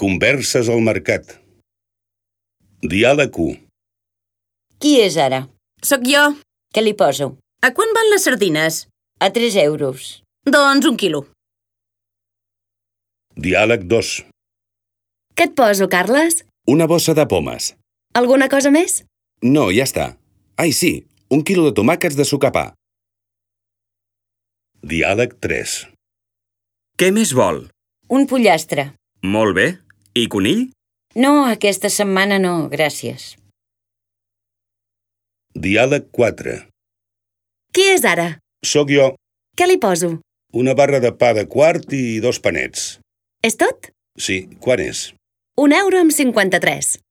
Converses al mercat. Diàleg 1. Qui és ara? Soc jo. Què li poso? A quant van les sardines? A 3 euros. Doncs 1 quilo. Diàleg 2. Què et poso, Carles? Una bossa de pomes. Alguna cosa més? No, ja està. Ai, sí, 1 quilo de tomàquets de sucar pa. Diàleg 3. Què més vol? Un pollastre. Molt bé. I conill? No, aquesta setmana no, gràcies. Diàleg 4. Qui és ara? Soc jo. Què li poso? Una barra de pa de quart i 2 panets. És tot? Sí, quan és? 1,53 €.